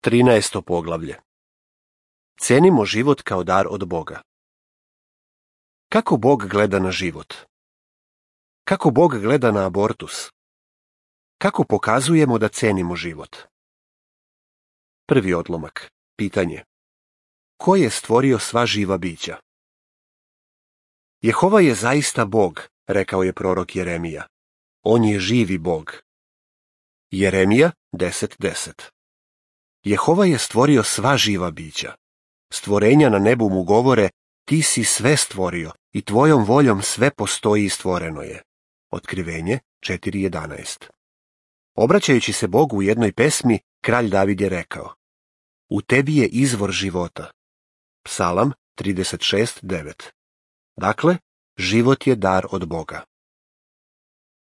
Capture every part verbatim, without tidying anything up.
Trinaesto poglavlje. Cenimo život kao dar od Boga. Kako Bog gleda na život? Kako Bog gleda na abortus? Kako pokazujemo da cenimo život? Prvi odlomak. Pitanje. Ko je stvorio sva živa bića? Jehova je zaista Bog, rekao je prorok Jeremija. On je živi Bog. Jeremija deset deset. Jehova je stvorio sva živa bića. Stvorenja na nebu mu govore, ti si sve stvorio i tvojom voljom sve postoji i stvoreno je. Otkrivenje četiri jedanaest. Obraćajući se Bogu u jednoj pesmi, kralj David je rekao, u tebi je izvor života. Psalam trideset šest devet. Dakle, život je dar od Boga.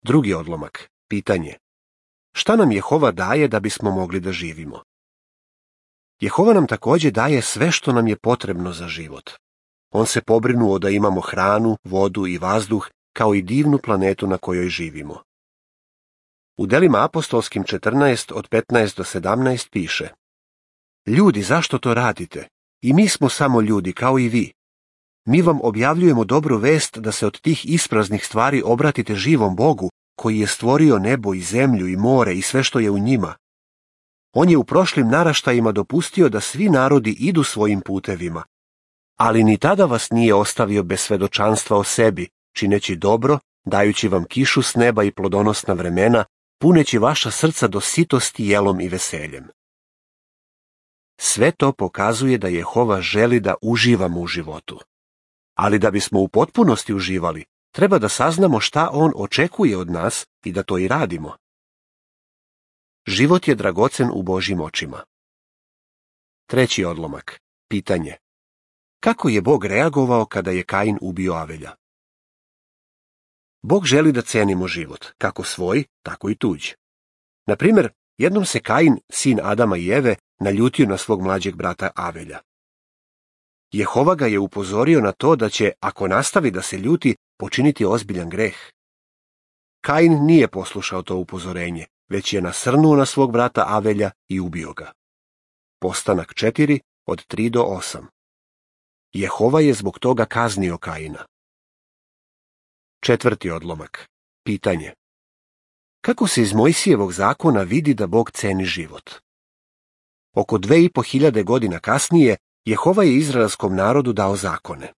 Drugi odlomak. Pitanje. Šta nam Jehova daje da bismo mogli da živimo? Jehova nam također daje sve što nam je potrebno za život. On se pobrinuo da imamo hranu, vodu i vazduh, kao i divnu planetu na kojoj živimo. U delima apostolskim četrnaest od petnaest do sedamnaest piše: Ljudi, zašto to radite? I mi smo samo ljudi, kao i vi. Mi vam objavljujemo dobru vest da se od tih ispraznih stvari obratite živom Bogu, koji je stvorio nebo i zemlju i more i sve što je u njima. On je u prošlim naraštajima dopustio da svi narodi idu svojim putevima, ali ni tada vas nije ostavio bez svedočanstva o sebi, čineći dobro, dajući vam kišu s neba i plodonosna vremena, puneći vaša srca do sitosti jelom i veseljem. Sve to pokazuje da Jehova želi da uživamo u životu. Ali da bismo u potpunosti uživali, treba da saznamo šta on očekuje od nas i da to i radimo. Život je dragocen u Božjim očima. Treći odlomak. Pitanje. Kako je Bog reagovao kada je Kain ubio Avelja? Bog želi da cenimo život, kako svoj, tako i tuđ. Na primjer, jednom se Kain, sin Adama i Eve, naljutio na svog mlađeg brata Avelja. Jehova ga je upozorio na to da će, ako nastavi da se ljuti, počiniti ozbiljan greh. Kain nije poslušao to upozorenje, već je nasrnuo na svog brata Avelja i ubio ga. Postanak četiri od tri do osam. Jehova je zbog toga kaznio Kaina. Četvrti odlomak. Pitanje. Kako se iz Mojsijevog zakona vidi da Bog ceni život? Oko dve i po hiljade godina kasnije, Jehova je izraelskom narodu dao zakone.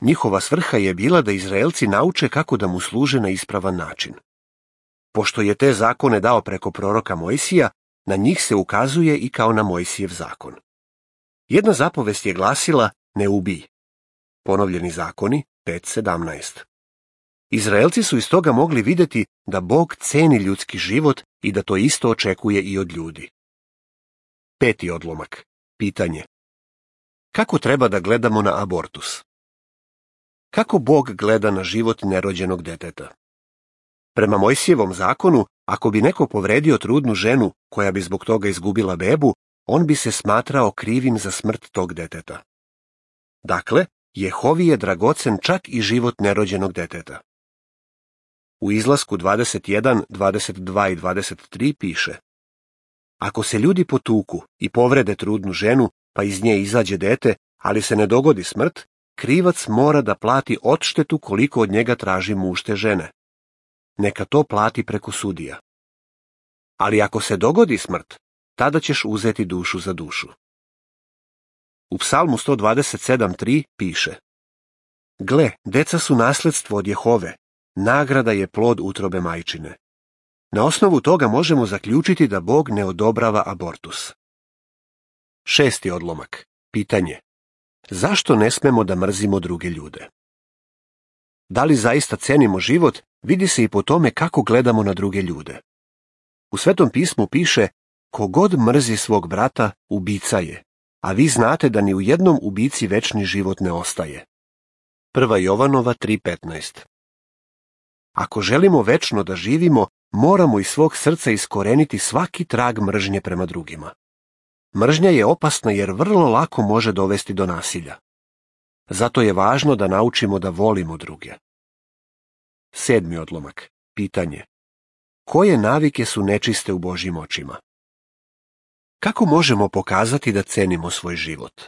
Njihova svrha je bila da Izraelci nauče kako da mu služe na ispravan način. Pošto je te zakone dao preko proroka Mojsija, na njih se ukazuje i kao na Mojsijev zakon. Jedna zapovest je glasila ne ubij. Ponovljeni zakoni pet sedamnaest. Izraelci su iz toga mogli vidjeti da Bog ceni ljudski život i da to isto očekuje i od ljudi. Peti odlomak. Pitanje. Kako treba da gledamo na abortus? Kako Bog gleda na život nerođenog deteta? Prema Mojsijevom zakonu, ako bi neko povredio trudnu ženu koja bi zbog toga izgubila bebu, on bi se smatrao krivim za smrt tog deteta. Dakle, Jehovi je dragocen čak i život nerođenog deteta. U Izlasku dvadeset jedan, dvadeset dva i dvadeset tri piše: Ako se ljudi potuku i povrede trudnu ženu, pa iz nje izađe dete, ali se ne dogodi smrt, krivac mora da plati odštetu koliko od njega traži muž te žene. Neka to plati preko sudija. Ali ako se dogodi smrt, tada ćeš uzeti dušu za dušu. U Psalmu sto dvadeset sedam tri piše: Gle, deca su nasledstvo od Jehove, nagrada je plod utrobe majčine. Na osnovu toga možemo zaključiti da Bog ne odobrava abortus. Šesti odlomak. Pitanje. Zašto ne smemo da mrzimo druge ljude? Da li zaista cenimo život, vidi se i po tome kako gledamo na druge ljude. U Svetom pismu piše: Kogod mrzi svog brata, ubica je, a vi znate da ni u jednom ubici večni život ne ostaje. Prva Jovanova tri petnaest. Ako želimo večno da živimo, moramo iz svog srca iskoreniti svaki trag mržnje prema drugima. Mržnja je opasna jer vrlo lako može dovesti do nasilja. Zato je važno da naučimo da volimo druge. Sedmi odlomak. Pitanje. Koje navike su nečiste u Božjim očima? Kako možemo pokazati da cenimo svoj život?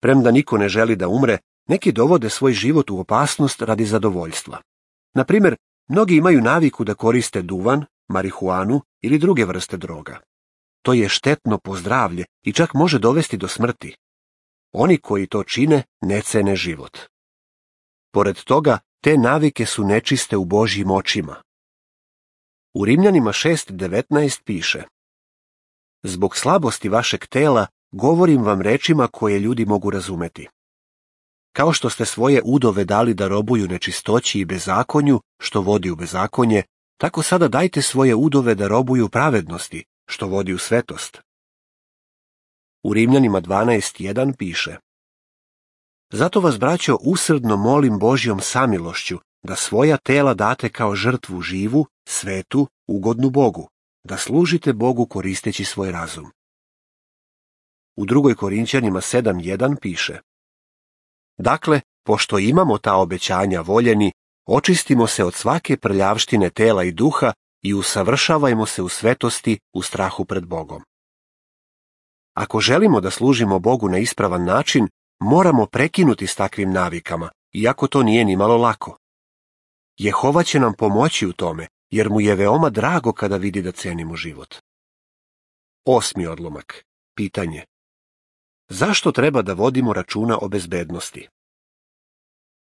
Premda niko ne želi da umre, neki dovode svoj život u opasnost radi zadovoljstva. Na primjer, mnogi imaju naviku da koriste duvan, marihuanu ili druge vrste droga. To je štetno po zdravlje i čak može dovesti do smrti. Oni koji to čine ne cene život. Pored toga, te navike su nečiste u Božjim očima. U Rimljanima šest devetnaest piše: Zbog slabosti vašeg tela govorim vam rečima koje ljudi mogu razumeti. Kao što ste svoje udove dali da robuju nečistoći i bezakonju, što vodi u bezakonje, tako sada dajte svoje udove da robuju pravednosti, što vodi u svetost. U Rimljanima dvanaest jedan piše: Zato vas, braćo, usrdno molim Božjom samilošću da svoja tela date kao žrtvu živu, svetu, ugodnu Bogu, da služite Bogu koristeći svoj razum. U drugoj Korinćanima sedam jedan piše: Dakle, pošto imamo ta obećanja voljeni, očistimo se od svake prljavštine tela i duha i usavršavajmo se u svetosti u strahu pred Bogom. Ako želimo da služimo Bogu na ispravan način, moramo prekinuti s takvim navikama, iako to nije ni malo lako. Jehova će nam pomoći u tome, jer mu je veoma drago kada vidi da cenimo život. Osmi odlomak. Pitanje: zašto treba da vodimo računa o bezbednosti?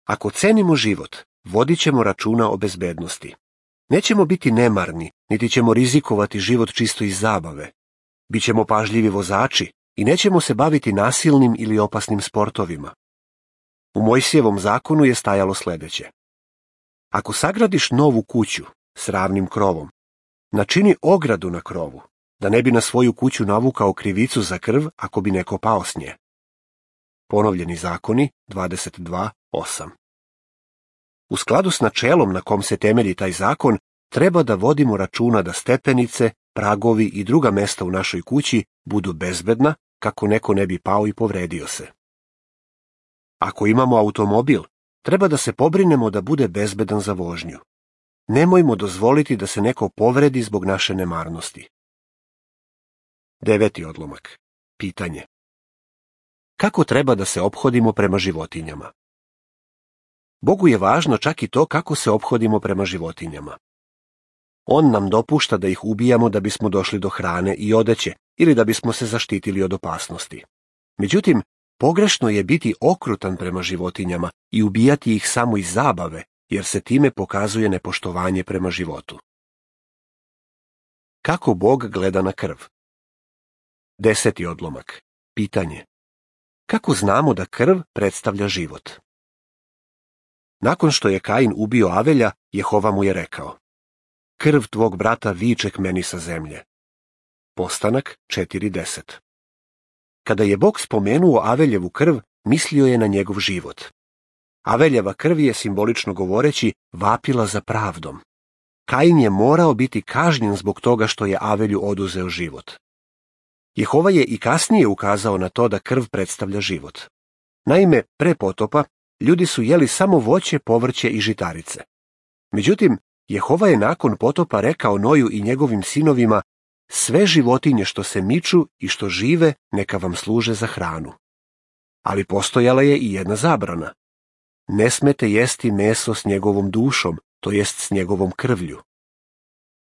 Ako cenimo život, vodit ćemo računa o bezbednosti. Nećemo biti nemarni, niti ćemo rizikovati život čisto iz zabave. Bićemo pažljivi vozači i nećemo se baviti nasilnim ili opasnim sportovima. U Mojsijevom zakonu je stajalo sljedeće: Ako sagradiš novu kuću s ravnim krovom, načini ogradu na krovu, da ne bi na svoju kuću navukao krivicu za krv ako bi neko pao s nje. Ponovljeni zakoni dvadeset dva osam. U skladu s načelom na kom se temelji taj zakon, treba da vodimo računa da stepenice, pragovi i druga mesta u našoj kući budu bezbedna, kako neko ne bi pao i povredio se. Ako imamo automobil, treba da se pobrinemo da bude bezbedan za vožnju. Nemojmo dozvoliti da se neko povredi zbog naše nemarnosti. Deveti odlomak. Pitanje: kako treba da se ophodimo prema životinjama? Bogu je važno čak i to kako se ophodimo prema životinjama. On nam dopušta da ih ubijamo da bismo došli do hrane i odeće ili da bismo se zaštitili od opasnosti. Međutim, pogrešno je biti okrutan prema životinjama i ubijati ih samo iz zabave, jer se time pokazuje nepoštovanje prema životu. Kako Bog gleda na krv? Deseti odlomak. Pitanje: kako znamo da krv predstavlja život? Nakon što je Kain ubio Avelja, Jehova mu je rekao: krv tvog brata viče k meni sa zemlje. Postanak četiri deset. Kada je Bog spomenuo Aveljevu krv, mislio je na njegov život. Aveljeva krv je, simbolično govoreći, vapila za pravdom. Kain je morao biti kažnjen zbog toga što je Avelju oduzeo život. Jehova je i kasnije ukazao na to da krv predstavlja život. Naime, pre potopa, ljudi su jeli samo voće, povrće i žitarice. Međutim, Jehova je nakon potopa rekao Noju i njegovim sinovima: sve životinje što se miču i što žive, neka vam služe za hranu. Ali postojala je i jedna zabrana. Ne smete jesti meso s njegovom dušom, to jest s njegovom krvlju.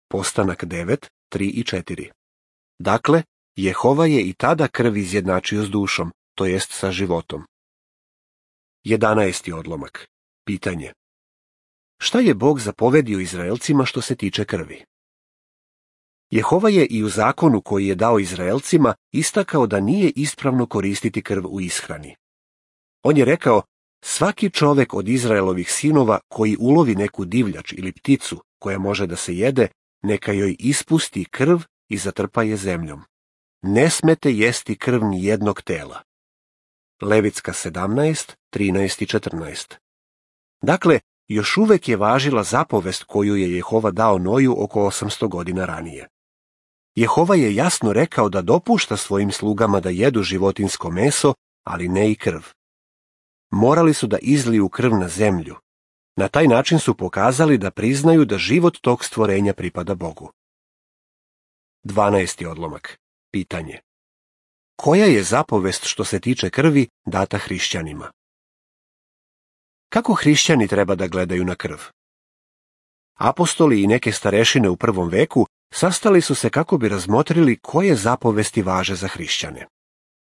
Postanak devet, tri i četiri. Dakle, Jehova je i tada krv izjednačio s dušom, to jest sa životom. Jedanaesti odlomak. Pitanje: šta je Bog zapovedio Izraelcima što se tiče krvi? Jehova je i u zakonu koji je dao Izraelcima istakao da nije ispravno koristiti krv u ishrani. On je rekao: svaki čovek od Izraelovih sinova koji ulovi neku divljač ili pticu koja može da se jede, neka joj ispusti krv i zatrpa je zemljom. Ne smete jesti krv ni jednog tela. Levitska sedamnaest, trinaest i četrnaest. Dakle, još uvek je važila zapovest koju je Jehova dao Noju oko osamsto godina ranije. Jehova je jasno rekao da dopušta svojim slugama da jedu životinjsko meso, ali ne i krv. Morali su da izliju krv na zemlju. Na taj način su pokazali da priznaju da život tog stvorenja pripada Bogu. Dvanaesti odlomak. Pitanje. Koja je zapovest što se tiče krvi data hrišćanima? Kako hrišćani treba da gledaju na krv? Apostoli i neke starešine u prvom veku sastali su se kako bi razmotrili koje zapovesti važe za hrišćane.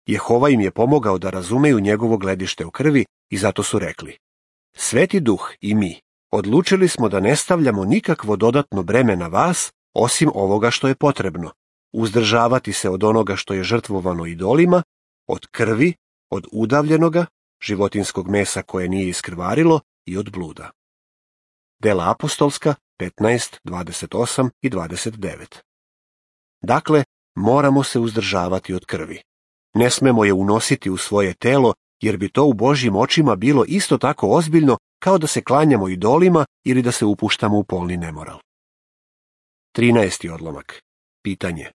Jehova im je pomogao da razumeju njegovo gledište u krvi i zato su rekli: Sveti Duh i mi odlučili smo da ne stavljamo nikakvo dodatno breme na vas osim ovoga što je potrebno, uzdržavati se od onoga što je žrtvovano idolima, od krvi, od udavljenoga, životinskog mesa koje nije iskrvarilo i od bluda. Dela apostolska petnaest, dvadeset osam i dvadeset devet. Dakle, moramo se uzdržavati od krvi. Ne smemo je unositi u svoje telo, jer bi to u Božjim očima bilo isto tako ozbiljno kao da se klanjamo idolima ili da se upuštamo u polni nemoral. trinaesti odlomak. Pitanje.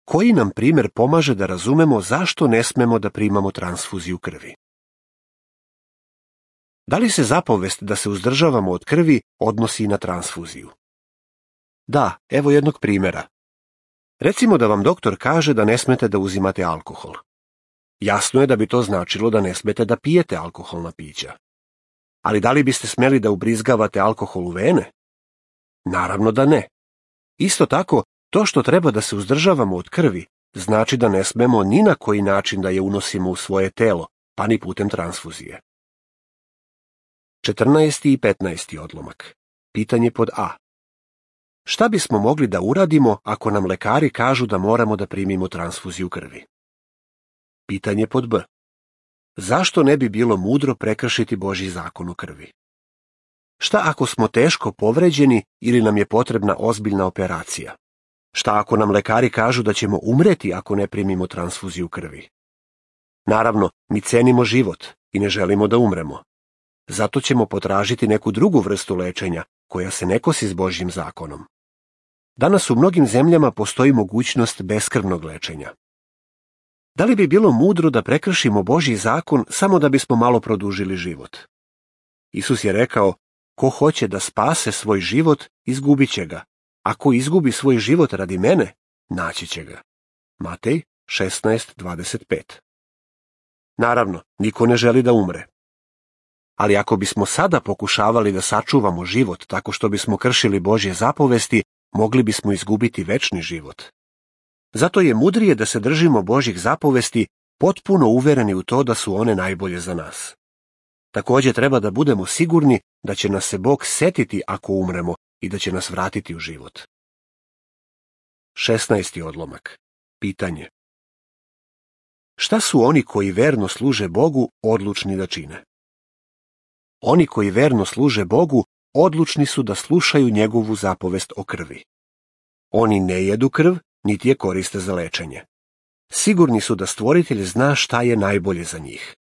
Koji nam primjer pomaže da razumemo zašto ne smemo da primamo transfuziju krvi? Da li se zapovest da se uzdržavamo od krvi odnosi i na transfuziju? Da, evo jednog primjera. Recimo da vam doktor kaže da ne smete da uzimate alkohol. Jasno je da bi to značilo da ne smete da pijete alkoholna pića. Ali da li biste smjeli da ubrizgavate alkohol u vene? Naravno da ne. Isto tako, to što treba da se uzdržavamo od krvi znači da ne smemo ni na koji način da je unosimo u svoje telo, pa ni putem transfuzije. četrnaesti i petnaesti odlomak. Pitanje pod A. Šta bismo mogli da uradimo ako nam lekari kažu da moramo da primimo transfuziju krvi? Pitanje pod B. Zašto ne bi bilo mudro prekršiti Božji zakon o krvi? Šta ako smo teško povređeni ili nam je potrebna ozbiljna operacija? Šta ako nam lekari kažu da ćemo umreti ako ne primimo transfuziju krvi? Naravno, mi cenimo život i ne želimo da umremo. Zato ćemo potražiti neku drugu vrstu lečenja koja se ne kosi s Božjim zakonom. Danas u mnogim zemljama postoji mogućnost beskrvnog lečenja. Da li bi bilo mudro da prekršimo Božji zakon samo da bismo malo produžili život? Isus je rekao: ko hoće da spase svoj život, izgubit će ga. Ako izgubi svoj život radi mene, naći će ga. Matej šesnaest, dvadeset pet. Naravno, niko ne želi da umre. Ali ako bismo sada pokušavali da sačuvamo život tako što bismo kršili Božje zapovesti, mogli bismo izgubiti večni život. Zato je mudrije da se držimo Božjih zapovesti, potpuno uvereni u to da su one najbolje za nas. Također treba da budemo sigurni da će nas se Bog setiti ako umremo i da će nas vratiti u život. šesnaesti odlomak. Pitanje. Šta su oni koji verno služe Bogu odlučni da čine? Oni koji verno služe Bogu odlučni su da slušaju njegovu zapovest o krvi. Oni ne jedu krv, niti je koriste za lečenje. Sigurni su da Stvoritelj zna šta je najbolje za njih.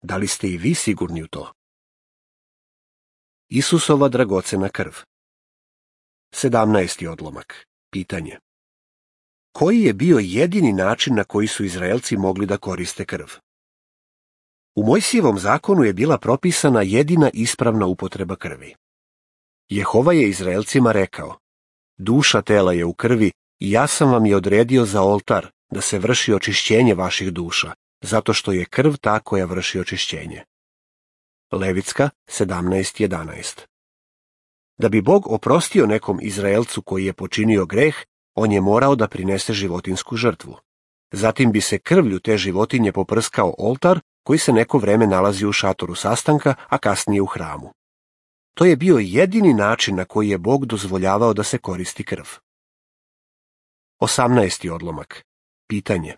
Da li ste i vi sigurni u to? Isusova dragocena krv. sedamnaesti odlomak. Pitanje. Koji je bio jedini način na koji su Izraelci mogli da koriste krv? U Mojsijevom zakonu je bila propisana jedina ispravna upotreba krvi. Jehova je Izraelcima rekao: duša tela je u krvi i ja sam vam je odredio za oltar da se vrši očišćenje vaših duša, zato što je krv ta koja vrši očišćenje. Levitska sedamnaest jedanaest. Da bi Bog oprostio nekom Izraelcu koji je počinio greh, on je morao da prinese životinsku žrtvu. Zatim bi se krvlju te životinje poprskao oltar koji se neko vreme nalazi u šatoru sastanka, a kasnije u hramu. To je bio jedini način na koji je Bog dozvoljavao da se koristi krv. osamnaesti odlomak. Pitanje.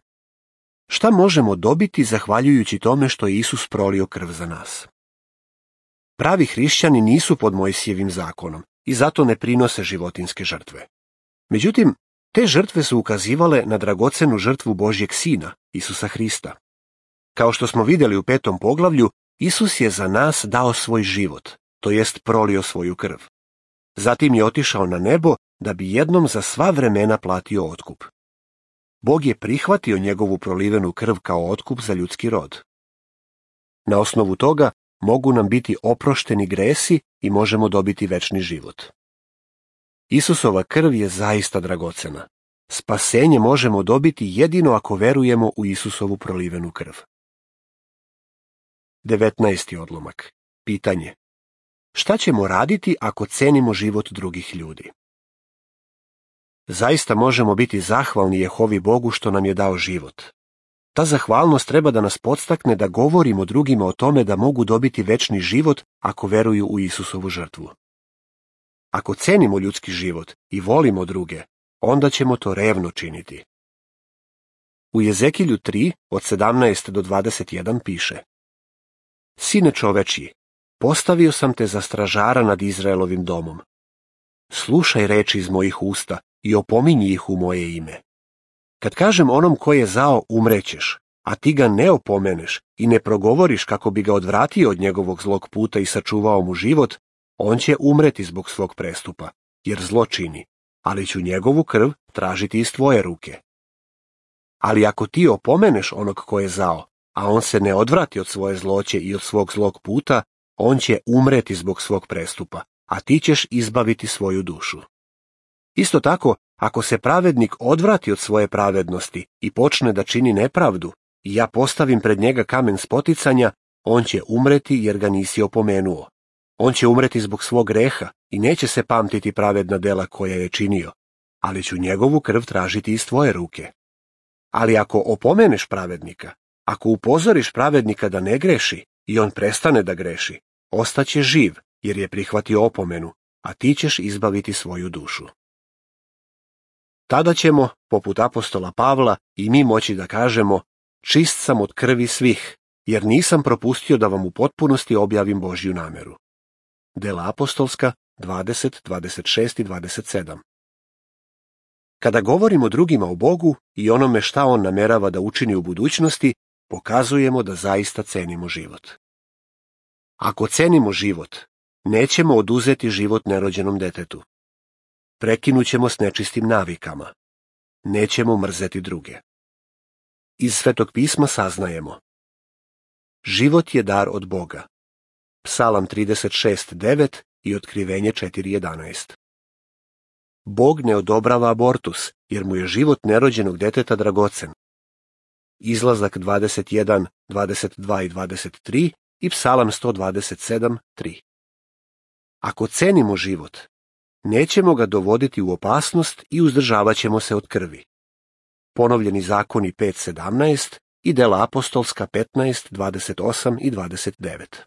Šta možemo dobiti zahvaljujući tome što je Isus prolio krv za nas? Pravi hrišćani nisu pod Mojsijevim zakonom i zato ne prinose životinske žrtve. Međutim, te žrtve su ukazivale na dragocenu žrtvu Božjeg Sina, Isusa Hrista. Kao što smo vidjeli u petom poglavlju, Isus je za nas dao svoj život, to jest prolio svoju krv. Zatim je otišao na nebo da bi jednom za sva vremena platio otkup. Bog je prihvatio njegovu prolivenu krv kao otkup za ljudski rod. Na osnovu toga mogu nam biti oprošteni gresi i možemo dobiti večni život. Isusova krv je zaista dragocena. Spasenje možemo dobiti jedino ako verujemo u Isusovu prolivenu krv. devetnaesti odlomak. Pitanje. Šta ćemo raditi ako cenimo život drugih ljudi? Zaista možemo biti zahvalni Jehovi Bogu što nam je dao život. Ta zahvalnost treba da nas podstakne da govorimo drugima o tome da mogu dobiti večni život ako veruju u Isusovu žrtvu. Ako cenimo ljudski život i volimo druge, onda ćemo to revno činiti. U Jezekilju tri, od sedamnaest do dvadeset jedan piše: Sine čovečji, postavio sam te za stražara nad Izraelovim domom. Slušaj reči iz mojih usta i opominji ih u moje ime. Kad kažem onom ko je zao umrećeš, a ti ga ne opomeneš i ne progovoriš kako bi ga odvratio od njegovog zlog puta i sačuvao mu život, on će umreti zbog svog prestupa, jer zlo čini, ali ću njegovu krv tražiti iz tvoje ruke. Ali ako ti opomeneš onog ko je zao, a on se ne odvrati od svoje zloće i od svog zlog puta, on će umreti zbog svog prestupa, a ti ćeš izbaviti svoju dušu. Isto tako, ako se pravednik odvrati od svoje pravednosti i počne da čini nepravdu, i ja postavim pred njega kamen spoticanja, on će umreti jer ga nisi opomenuo. On će umreti zbog svog greha i neće se pamtiti pravedna dela koja je činio, ali ću njegovu krv tražiti iz tvoje ruke. Ali ako opomeneš pravednika, ako upozoriš pravednika da ne greši i on prestane da greši, ostaće živ jer je prihvatio opomenu, a ti ćeš izbaviti svoju dušu. Tada ćemo, poput apostola Pavla, i mi moći da kažemo: čist sam od krvi svih, jer nisam propustio da vam u potpunosti objavim Božju nameru. Dela apostolska dvadeset, dvadeset šest i dvadeset sedam. Kada govorimo drugima o Bogu i onome šta on namerava da učini u budućnosti, pokazujemo da zaista cenimo život. Ako cenimo život, nećemo oduzeti život nerođenom detetu. Prekinućemo s nečistim navikama. Nećemo mrzeti druge. Iz Svetog pisma saznajemo: život je dar od Boga. Psalam trideset šest devet i Otkrivenje četiri jedanaest. Bog ne odobrava abortus, jer mu je život nerođenog deteta dragocen. Izlazak dvadeset jedan, dvadeset dva i dvadeset tri i Psalam sto dvadeset sedam, tri. Ako cenimo život, nećemo ga dovoditi u opasnost i uzdržavat ćemo se od krvi. Ponovljeni zakoni pet sedamnaest i Dela apostolska petnaest, dvadeset osam i dvadeset devet.